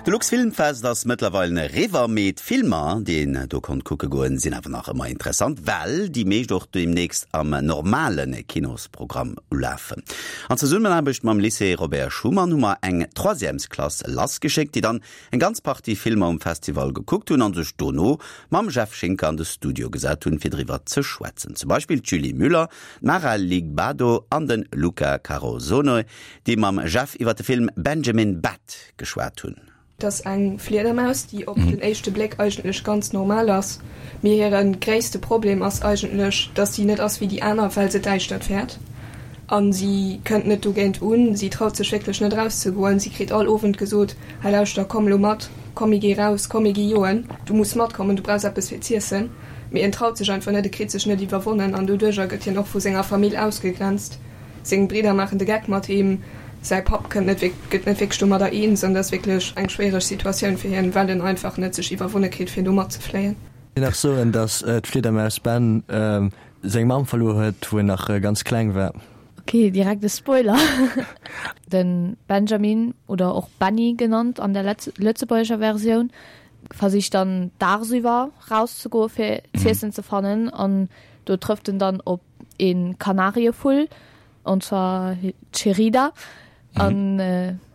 De Luxfilmfest ass mëttlerweil eriwwer, mee d'Filmer, déi een do konnt kucke goen, sinn awer nach ëmmer interessant, well déi meescht och deemnächst am normale Kinosprogramm ulafen. An Zesummenaarbecht mam Lycée Robert Schuman hu mer eng Troisièmesklass lassgeschéckt, déi dann eng ganz Partie Filmer um Festival gekuckt hunn an sech dono mam Jeff Schinker an de Studio gesat hunn, fir driwwer ze schwätzen. Zum Beispill d'Julie Müller, d'Mara Ligbado an de Luca Carosone, déi mam Jeff iwwer de Film Benjamin Bat geschwat hunn. Et ass eng Fliedermaus, déi op den éischte Bléck eigentlech ganz normal ass, mee hire gréisste Problem ass eigentlech, dass si net ass wéi déi aner, well se d'Däischtert fäert a si kënnt net dogéint un. Si traut sech wierklech net erauszegoen. Si kritt all Owend gesot, Hei lauschter, komm elo mat, komm mir gi raus, komm mir gi joen, du muss matkommen, du brauchs eppes fir z'iessen. Mee en traut sech einfach net, e kritt sech net iwwerwonnen an doduercher gëtt hien och vu senger Famill ausgegrenzt. Seng Bridder maachen de Geck mat him, säi Papp kënnt net gëtt net wierklech domadder eens an dat ass wierklech eng schwiereg Situatioun fir hien, well en einfach net sech iwwerwonne kritt fir do matzefléien. Nach soen, dass d'Fliedermaus Ben seng Mamm verluer huet, wou en nach ganz kleng war. Ok, direkt e Spoiler. De Benjamin, oder och Benny genannt an der lëtzebuergescher Versioun, versicht dann dagsiwwer rauszegoe fir z'iessen ze fannen an do trëfft en dann op een Kanarievull, und zwar d'Cherida, an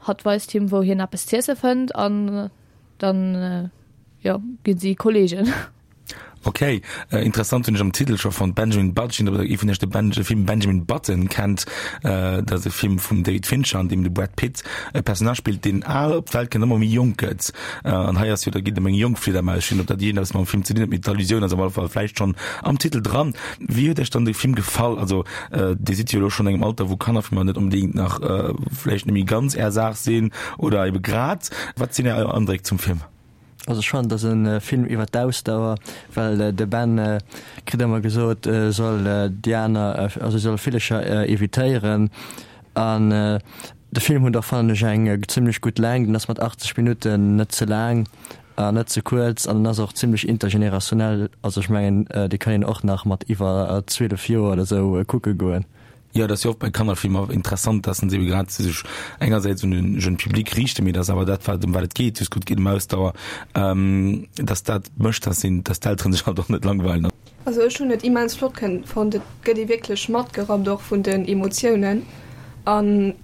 hatt weist him wou hien eppes z'iesse fënnt an dann jo ginn si Kollegen. Ok, interessant hunn ech am Titel scho fonnt, Benjamin Button, oder ee vun iech de Ben Film Benjamin Button kennt, dat ass e Film vum David Fincher an deem de Brad Pitt e Personnage spillt deen al op d'Welt kënnt, ëmmer méi jonk gëtt. An hei ass jo, da geet et ëm eng jonk Fliedermaus, ech weess net ob dat iergendeppes mam Film ze dinn huet, mee d'Allusioun ass op alle Fall vläicht schonn am Titel dran. Wéi huet Iech dann de Film gefall? Also Dir sidd jo elo schonn engem Alter, wou Kannerfilmer net onbedéngt nach vläicht net méi ganz Är Saach sinn oder ebe grad. Wat sinn Är Andréck zum Film? Also ech fannen, et ass e Film iwwer d'Ausdauer, well de Ben kritt ëmmer gesot, e soll déi aner, also e soll Villecher evitéieren. An de Film huet och, fannen ech, eng zimmlech gutt Längt, en ass mat 80 Minutten net ze laang. An net ze kuerz an en ass och zimlech intergenerationell, also ech mengen dee kann een och nach mat iwwer 12 Joer oder sou kucke goen. Jo, et ass jo oft bei Kannerfilmer interessant, dass se ebe grad sech engersäits un de jeune Public riichten, mee dass awer dat wat ëm wat et geet, just gutt geet ëm Ausdauer, dass dat mécht, dass een, dass d'Elteren sech halt och net langweilen. Also ech hunn et immens flott fonnt, et gëtt ee wierklech matgerappt och vun den Emotiounen an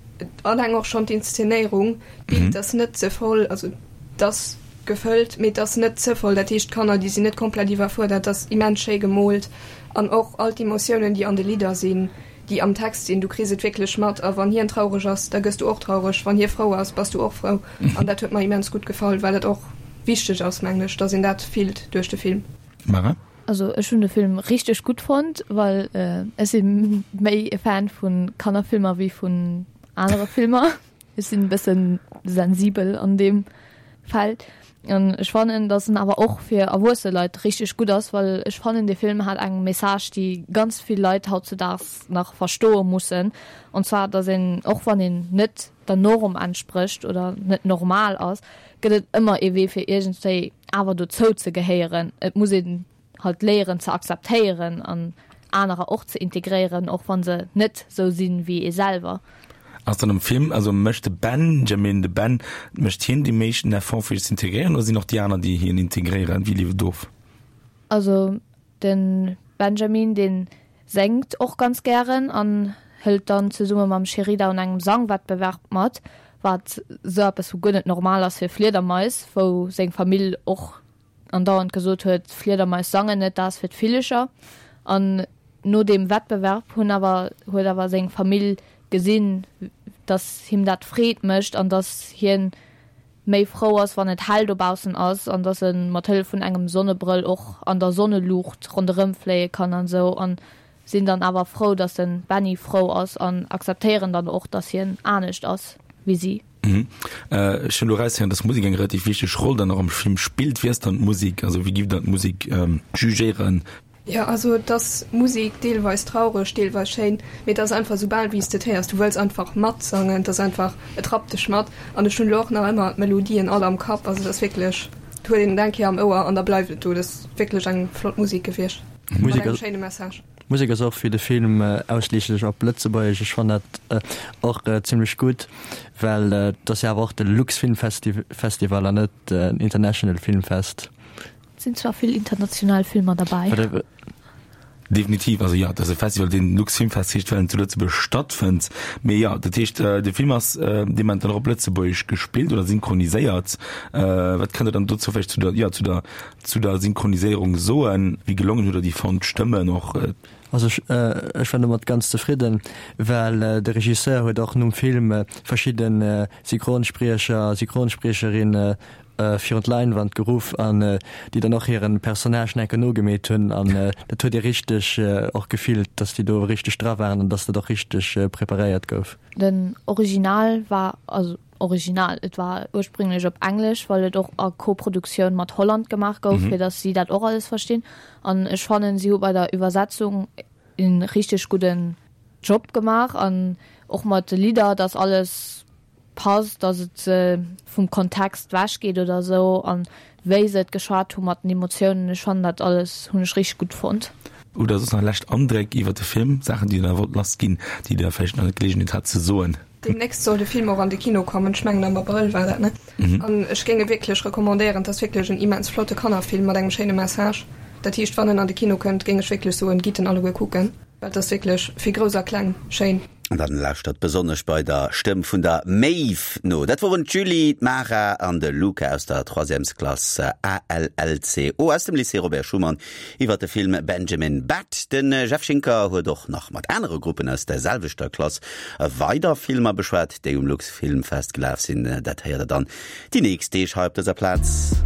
alleng och schonn d'Inszenéierung, d'Bild ass net ze voll, also et ass gefëllt, mee et ass net ze voll, dat heescht d'Kanner déi sinn net komplett iwwerfuerdert, et ass immens schéi gemoolt an och all d'Emotiounen déi an de Lidder sinn, déi am Text sinn, du kriss et wierklech mat a wann hien traureg ass, da gëss du och traureg, wann hie frou ass, bass du och frou an dat huet mer immens gutt gefall, well et och wichteg ass mengen ech, dass een dat fillt duerch de Film. Mara? Also ech hunn de Film richteg gutt fonnt, well ech si méi e Fan vu Kannerfilmer wéi vun anere Filmer. Ech sinn e bëssen sensibel an deem Feld. An ech fannen, datt en awer och fir erwuesse Leit richteg gutt ass, well ech fannen dee Film hat eng Message, déi ganz vill Leit hautzudaags nach verstoe mussen, und zwar datt een, och wann een net der Norm entsprécht oder net normal ass, gëtt et ëmmer ee Wee fir iergendwéi awer dozou ze gehéieren. Et muss een halt léieren ze akzeptéieren an anerer och ze integréieren, och wann se net sou sinn wéi ee selwer. Ass dann am Film, also mécht de Benjamin, de Ben, mécht hien déi meeschten Effort fir sech ze integréieren oder sinn och déi aner déi hien integréieren? Wéi lieft et of? Also de Benjamin deen Séngt och ganz gären an hëlt dann zesumme mam Sherida un engem Sangwettbewerb mat, wat sou eppes vu guer net normal ass fir Fliedermais, wou seng Famill och andauernd gesot huet, Fliedermais sangen net, dat ass fir d'Villecher. An no deem Wettbewerb hunn awer huet awer seng Famill gesinn, dass him dat Freed mécht an dass hien méi frou ass wann et hell dobaussen ass an dass e mat Hëllef vun engem Sonnebrëll och an der Sonneluucht ronderëm fléie kann an esou an sinn dann awer frou dass den Benny frou ass an akzeptéieren dann och dass hien anescht ass wéi si. Ech hunn elo eraushéieren dass Musek eng relativ wichteg Roll dann och am Film spillt. Wéi ass dann d'Musek, also wéi giff der d'Musek jugéieren? Jo, also et ass Musek, deelweis traureg, deelweis schéin, mee et ass einfach soubal wéi s de et héiers, du wëlls einfach matsangen, et ass einfach, et rappt dech mat an ech hunn elo och nach ëmmer d'Melodien all am Kapp, also et ass wierklech, et huet een et eng Kéier am Ouer an da bleift et do, et ass wierklech eng flott Musek gewiescht mat engem schéine Message. D'Musek ass och fir de Film ausschliisslech op Lëtzebuergesch. Ech fannen dat och zimlech gutt, well et ass jo awer och de Luxfilmfestival an net en International Filmfest. Et sinn zwar vill international Filmer derbäi. Definitiv, also jo, et ass e Festival, deen Luxfilmfest heescht, well en zu Lëtzebuerg stattfënnt. Mee jo, dat heescht, de Film ass dee Moment dann och op Lëtzebuergesch gespillt oder synchroniséiert. Wat kënnt Der dann dozou vläicht zu der, jo, zu der Zu der Synchroniséierung soen, wéi gelongen hutt der déi fonnt, d'Stëmmen och? Also ech ech war domat ganz zefridden, well de Regisseur huet och nom Film verschidde Synchronspriecher, Synchronspriecherinne virun d'Leinwand geruff an déi dann och hiren Personnage enke nogemeet hunn an dat huet ee richteg och gefillt, dass déi do richteg dra waren an dass dat och richteg preparéiert gouf. Den Original war, also Original, et war ursprünglech op Englesch, well et och a Koproduktioun mat Holland gemaach gouf, fir datt si dat och alles verstinn. An ech fannen, si hu bei der Iwwersetzung e richteg gudden Job gemaach an och mat de Lidder, datt alles passt, datt et vum Kontext wech geet oder esou an wéi se et geschwat hu mat den Emotiounen. Ech fannen dat alles hunn ech richteg gutt fonnt. Oder soss nach lescht Andréck iwwer de Film, Saachen, déi Der nach wollt lassginn, déi Der vläicht nach net d'Geleegenheet hat ze soen? Deemnächst soll de Film och an de Kino kommen, ech mengen am Abrëll war dat, ne? An ech géing e wierklech recommandéieren. Et ass wierklech en immens flotte Kannerfilm mat engem schéine Message. Dat heescht, wann en an de Kino kënnt, géing ech wierklech soen, gitt en alleguer kucken, well et ass wierklech fir Grouss a Kleng schéin. An dann lauschtert besonnesch bei der Stëmm vun der Maeve no. Dat woren d'Julie, d'Mara an de Luca aus der Troisièmesklass ALLCO aus dem Lycée Robert Schuman iwwer de Film Benjamin Bat. De Jeff Schinker huet och nach mat anere Gruppen aus der selwechter Klass weider Filmer beschwat, déi um Luxfilmfest gelaf sinn. Dat héiert der dann déi nächst Deeg hei op dëser Plaz.